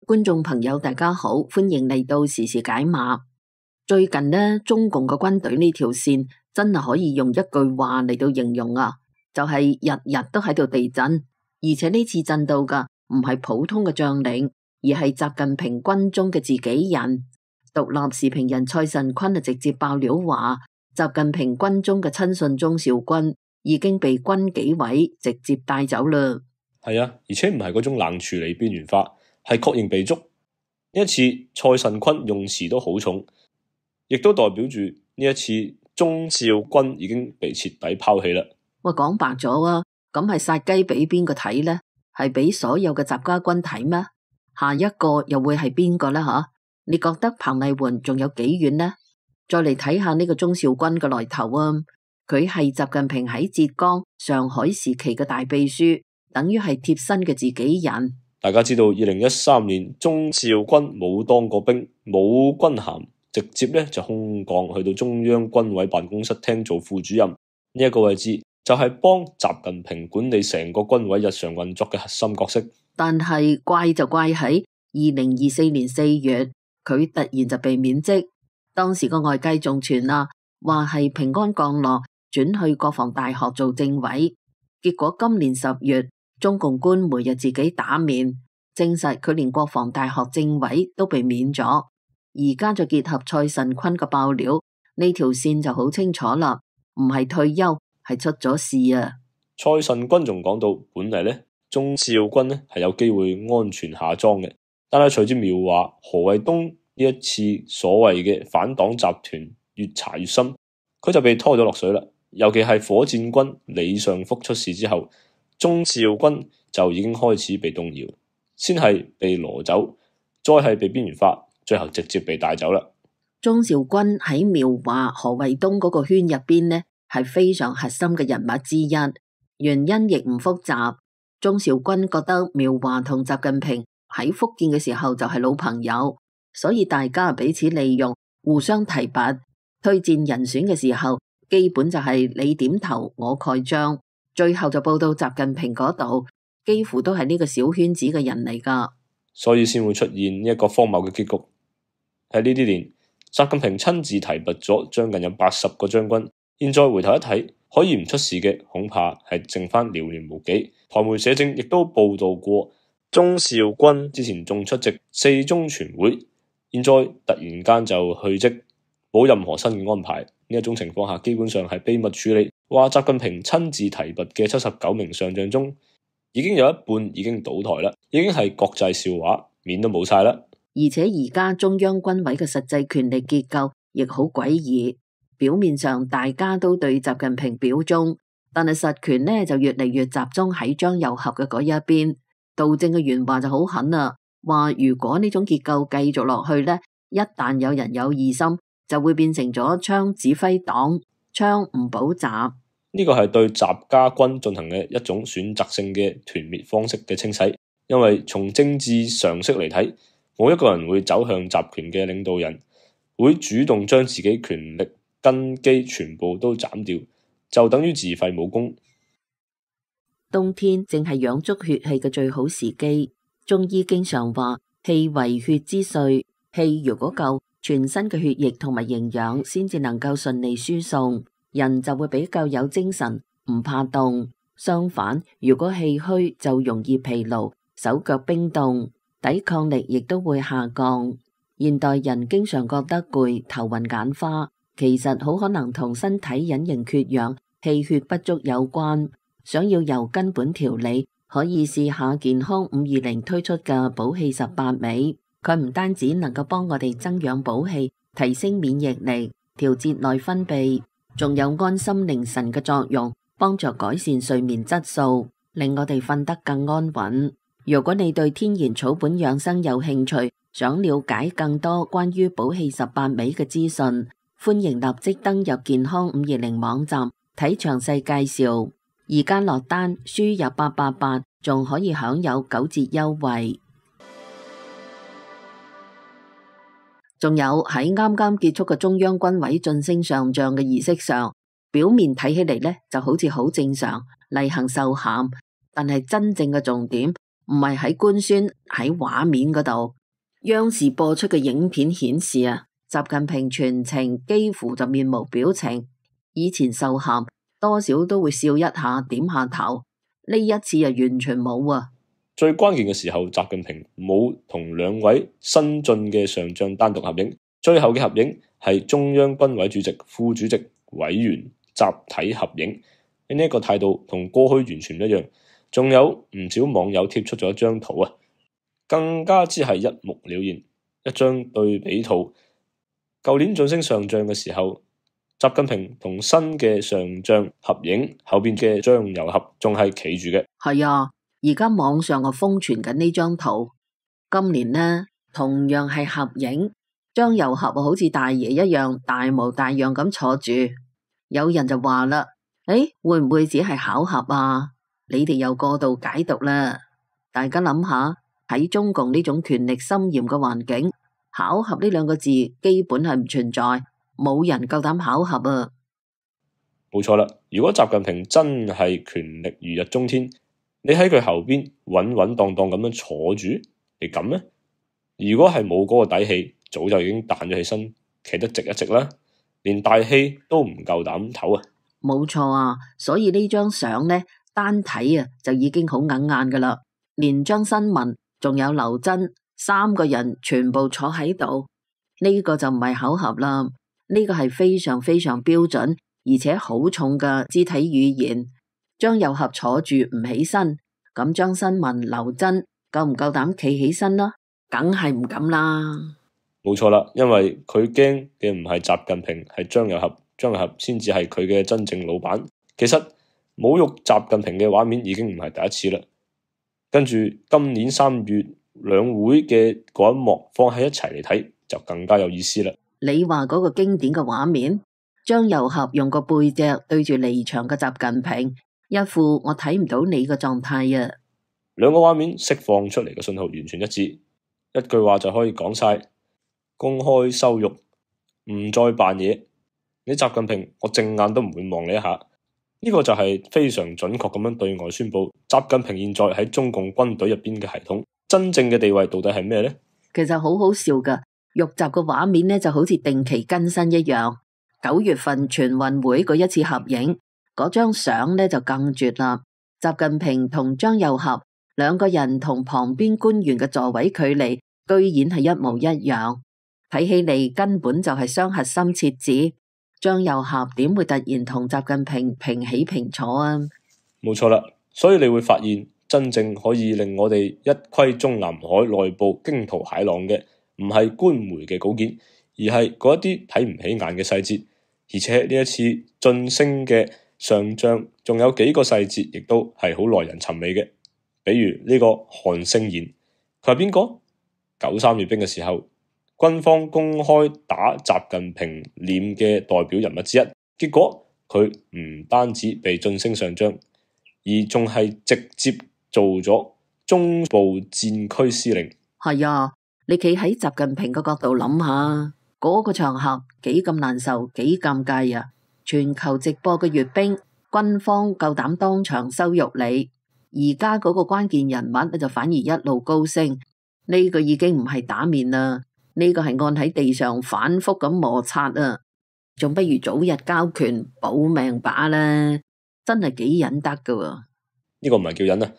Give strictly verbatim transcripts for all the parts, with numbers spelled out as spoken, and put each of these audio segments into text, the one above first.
觀眾朋友大家好，歡迎嚟到時事解碼。最近呢，中共嘅軍隊呢條線真係可以用一句話嚟到形容啊，就係日日都喺度地震，而且呢次震到嘅唔係普通嘅將領，而係習近平軍中嘅自己人。獨立時評人蔡慎坤啊直接爆料話，習近平軍中嘅親信鍾肇軍已經被軍紀委直接帶走啦。係啊，而且唔係嗰種冷處理邊緣化，係確認被捉。呢一次蔡慎坤用詞都好重，亦都代表住呢一次鍾肇軍已經被徹底拋棄啦。喂，講白咗啊，咁係殺雞俾邊個睇呢？係俾所有嘅習家軍睇咩？下一個又會係邊個呢？吓，你覺得彭麗媛仲有幾遠呢？再嚟睇下呢個鍾肇軍嘅來頭啊，佢係習近平喺浙江、上海時期嘅大秘書，等於係貼身嘅自己人。大家知道，二零一三年鍾肇軍冇當過兵，冇軍銜，直接咧就空降去到中央軍委辦公室廳做副主任。呢、這、一個位置就係幫習近平管理成個軍委日常運作嘅核心角色。但係怪就怪喺二零二四年四月，佢突然就被免職。當時個外界仲傳啊，話係平安降落，轉去國防大學做政委。結果今年十月，中共官媒又自己打面，證實佢連國防大學政委都被免咗。而家就結合蔡慎坤嘅爆料，呢條線就好清楚啦，唔係退休，係出咗事啊！蔡慎坤仲講到，本嚟咧鍾肇軍咧係有機會安全下莊嘅，但係隨住苗華、何衛東呢一次所謂嘅反黨集團越查越深，佢就被拖咗落水啦。尤其係火箭軍李尚福出事之後，鍾肇軍就已經開始被動搖，先係被攞走，再係被邊緣化，最後直接被帶走啦。鍾肇軍喺苗華、何衛東嗰個圈入邊呢，係非常核心嘅人物之一，原因亦唔複雜。鍾肇軍覺得苗華同習近平喺福建嘅時候就係老朋友，所以大家彼此利用，互相提拔，推薦人選嘅時候，基本就係你點頭我蓋章，最後就報到習近平嗰度，幾乎都係呢個小圈子嘅人嚟噶，所以先會出現呢一個荒謬嘅結局。喺呢啲年，習近平親自提拔咗將近有八十個將軍，現在回頭一睇，可以唔出事嘅恐怕係剩翻寥寥無幾。台媒社政亦都報道過，鍾肇軍之前仲出席四中全會，現在突然間就去職，冇任何新嘅安排。呢一種情況下，基本上係秘密處理。話習近平親自提拔嘅七十九名上將中，已經有一半已經倒台啦，已經係國際笑話，面都冇晒啦。而且而家中央軍委嘅實際權力結構亦好詭異，表面上大家都對習近平表忠，但係實權呢就越嚟越集中喺張又俠嘅嗰一邊。杜正嘅原話就好狠啦，話如果呢種結構繼續落去呢，一旦有人有異心，就會變成咗槍指揮黨，槍唔補習。呢個係對習家軍進行嘅一種選擇性嘅團滅方式嘅清洗，因為從政治常識嚟睇，冇一個人會走向集權嘅領導人，會主動將自己權力根基全部都斬掉，就等於自廢武功。冬天正係養足血氣嘅最好時機，中醫經常話氣為血之髓，氣如果夠，全身嘅血液同埋營養先至能夠順利輸送，人就會比較有精神，唔怕凍。相反，如果氣虛就容易疲勞，手腳冰凍，抵抗力亦都會下降。現代人經常覺得攰、頭暈眼花，其實好可能同身體隱形缺氧、氣血不足有關。想要由根本調理，可以試下健康五二零推出嘅補氣十八味。佢唔單止能夠幫我哋增養補氣、提升免疫力、調節內分泌，仲有安心寧神嘅作用，幫助改善睡眠質素，令我哋瞓得更安穩。如果你對天然草本養生有興趣，想了解更多關於補氣十八味嘅資訊，歡迎立即登入健康五二零網站睇詳細介紹。而家落單輸入八八八，仲可以享有九折優惠。仲有喺啱啱結束嘅中央軍委晉升上將嘅儀式上，表面睇起嚟呢就好似好正常，例行授銜，但係真正嘅重點唔係喺官宣喺畫面嗰度。央視播出嘅影片顯示啊，習近平全程幾乎就面無表情。以前受函多少都會笑一下，點下頭，呢一次啊完全冇啊。最關鍵嘅時候，習近平冇同兩位新晉嘅上將單獨合影，最後嘅合影係中央軍委主席、副主席、委員集體合影。呢一個態度同過去完全唔一樣。仲有唔少網友貼出咗一張圖啊，更加之係一目了然，一張對比圖。舊年晉升上將嘅時候，習近平同新嘅上將合影，後邊嘅張又俠仲係企住嘅。係啊，而家網上啊瘋傳緊呢張圖。今年呢，同樣係合影，張又俠好似大爺一樣大模大樣咁坐住。有人就話啦，誒，會唔會只係巧合啊？你哋又過度解讀啦。大家諗下，喺中共呢種權力森嚴嘅環境，巧合呢兩個字基本係唔存在，冇人夠膽巧合啊。冇錯啦，如果習近平真係權力如日中天，你喺佢後邊穩穩當當咁樣坐住，你敢咩？如果係冇嗰個底氣，早就已經彈咗起身，企得直一直啦，連大氣都唔夠膽唞啊！冇錯啊，所以呢張相呢，單睇啊就已經好硬眼噶啦，連張新聞仲有劉真三個人全部坐喺度，呢個就唔係巧合啦，呢個係非常非常標準而且好重嘅肢體語言。張又俠坐住唔起身，咁張新聞、劉真夠唔夠膽企起身啦？梗係唔敢啦。冇錯啦，因為佢驚嘅唔係習近平，係張又俠，張又俠先至係佢嘅真正老闆。其實侮辱習近平嘅畫面已經唔係第一次啦。跟住今年三月兩會嘅嗰一幕放喺一齊嚟睇，就更加有意思啦。你話嗰個經典嘅畫面，張又俠用個背脊對住離場嘅習近平，一副我睇唔到你嘅狀態啊。兩個畫面釋放出嚟嘅信號完全一致，一句話就可以講晒：公開羞辱，唔再扮嘢。你習近平，我正眼都唔會望你一下。呢個就係非常準確咁樣對外宣布，習近平現在喺中共軍隊入邊嘅系統真正嘅地位到底係咩呢？其實好好笑噶，玉集嘅畫面呢就好似定期更新一樣。九月份全運會嗰一次合影，嗰張相呢就更絕啦。習近平同張又俠兩個人同旁邊官員嘅座位距離，居然係一模一樣，睇起嚟根本就係雙核心設置。張又俠點會突然同習近平平起平坐啊？冇錯啦，所以你會發現真正可以令我哋一窺中南海內部驚濤駭浪嘅，唔係官媒嘅稿件，而係嗰一啲睇唔起眼嘅細節。而且呢一次晉升嘅上將，仲有幾個細節亦都係好耐人尋味嘅。比如呢個韓勝賢，佢係邊個？九三閱兵嘅時候，軍方公開打習近平臉嘅代表人物之一，結果佢唔單止被晉升上將，而仲係直接做咗中部戰區司令。係啊，你企喺習近平嘅角度諗下，嗰個場合幾咁難受，幾尷尬啊！全球直播嘅閱兵，軍方夠膽當場羞辱你，而家嗰個關鍵人物就反而一路高升，呢個已經唔係打面啦。呢個係按喺地上反覆咁摩擦啊，仲不如早日交權保命把啦，真係幾忍得噶。呢個唔係叫忍啊，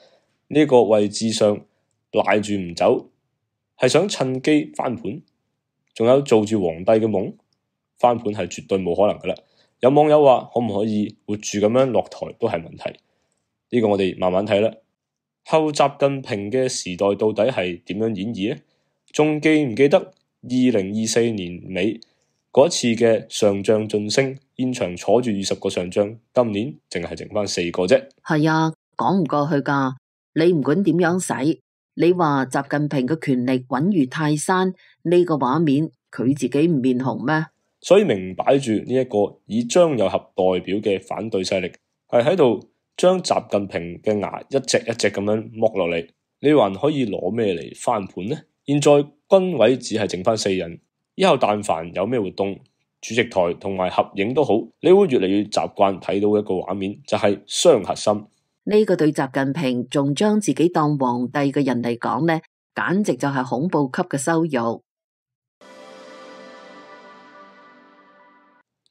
呢個位置上賴住唔走，係想趁機翻盤。仲有做住皇帝嘅夢，翻盤係絕對冇可能噶啦。有網友話可唔可以活住咁樣落台都係問題，呢個我哋慢慢睇啦。後習近平嘅時代到底係點樣演繹呢？仲記唔記得二零二四年尾嗰次嘅上將晉升，現場坐住二十個上將，今年淨係剩翻四個啫。係啊，講唔過去噶。你唔管點樣使，你話習近平嘅權力穩如泰山，呢個畫面佢自己唔面紅咩？所以明擺住呢一個以張又俠代表嘅反對勢力，係喺度將習近平嘅牙一隻一隻咁樣剝落嚟。你還可以攞咩嚟翻盤呢？現在軍委只係剩翻四人，以後但凡有咩活動，主席台同埋合影都好，你會越嚟越習慣睇到一個畫面，就係雙核心。呢個對習近平仲將自己當皇帝嘅人嚟講呢，簡直就係恐怖級嘅羞辱。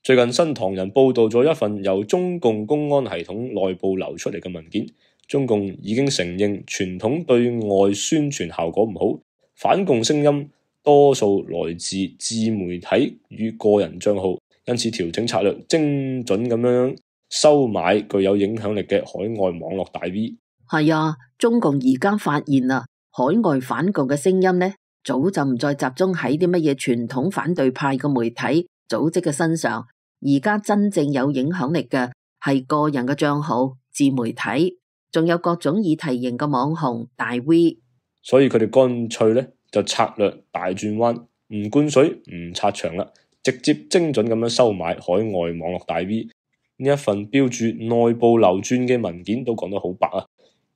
最近新唐人報道咗一份由中共公安系統內部流出嚟嘅文件，中共已經承認傳統對外宣傳效果唔好，反共聲音多數來自自媒體與個人賬號，因此調整策略，精準咁樣收買具有影響力嘅海外網絡大 V。係啊，中共而家發現啦，海外反共嘅聲音呢，早就唔再集中喺啲乜嘢傳統反對派嘅媒體組織嘅身上，而家真正有影響力嘅係個人嘅賬號、自媒體，仲有各種議題型嘅網紅大 V。所以佢哋乾脆咧就策略大轉彎，唔灌水唔拆牆啦，直接精準咁樣收買海外網絡大 V。呢一份標注內部流轉嘅文件都講得好白啊！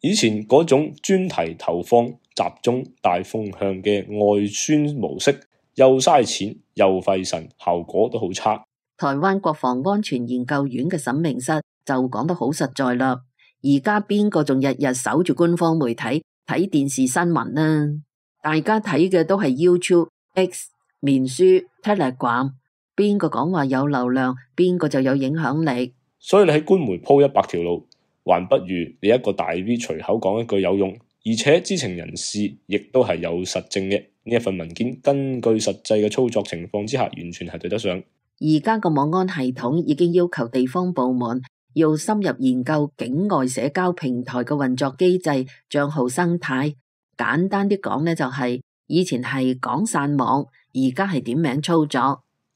以前嗰種專題投放、集中大風向嘅外宣模式，又嘥錢又費神，效果都好差。台灣國防安全研究院嘅沈明室就講得好實在啦。而家邊個仲日日守住官方媒體睇電視新聞呢？大家睇嘅都係 YouTube、X、面書、Telegram， 邊個講話有流量，邊個就有影響力。所以你喺官媒鋪一百條路，還不如你一個大 V 隨口講一句有用，而且知情人士亦都係有實證嘅。呢一份文件根據實際嘅操作情況之下，完全係對得上。而家個網安系統已經要求地方部門要深入研究境外社交平台嘅運作機制、賬號生態。簡單啲講呢，就係以前係講散網，而家係點名操作，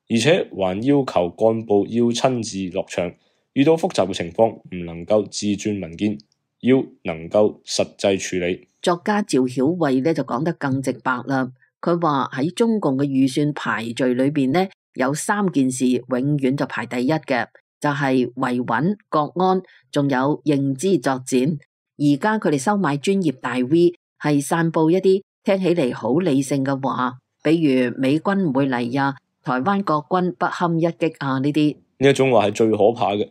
而且還要求幹部要親自落場，遇到複雜嘅情況唔能夠自轉文件，要能夠實際處理。作家趙曉慧呢就講得更直白啦，佢話喺中共嘅預算排序裏邊呢，有三件事永遠就排第一嘅，就係維穩國安，仲有認知作戰。而家佢哋收買專業大 V， 係散布一啲聽起嚟好理性嘅話，比如美軍唔會嚟啊，台灣國軍不堪一擊啊，呢啲呢一種話係最可怕嘅，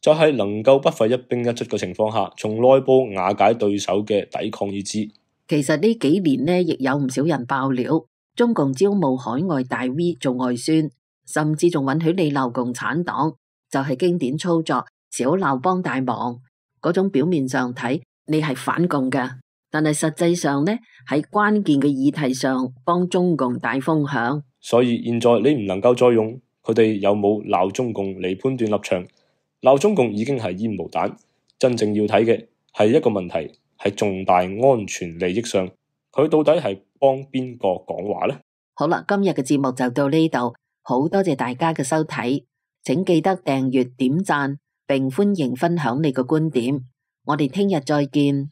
就係能夠不費一兵一卒嘅情況下，從內部瓦解對手嘅抵抗意志。其實呢幾年呢，亦有唔少人爆料，中共招募海外大 V 做外宣，甚至仲允許你鬧共產黨，就係經典操作，小鬧幫大忙。嗰種表面上睇你係反共嘅，但係實際上呢，喺關鍵嘅議題上幫中共帶風向。所以現在你唔能夠再用佢哋有冇鬧中共嚟判斷立場，鬧中共已經係煙霧彈。真正要睇嘅係一個問題，係重大安全利益上，佢到底係幫邊個講話呢？好啦，今日嘅節目就到呢度，好多謝大家嘅收睇，請記得訂閱、點讚，並歡迎分享你嘅觀點。我哋聽日再見。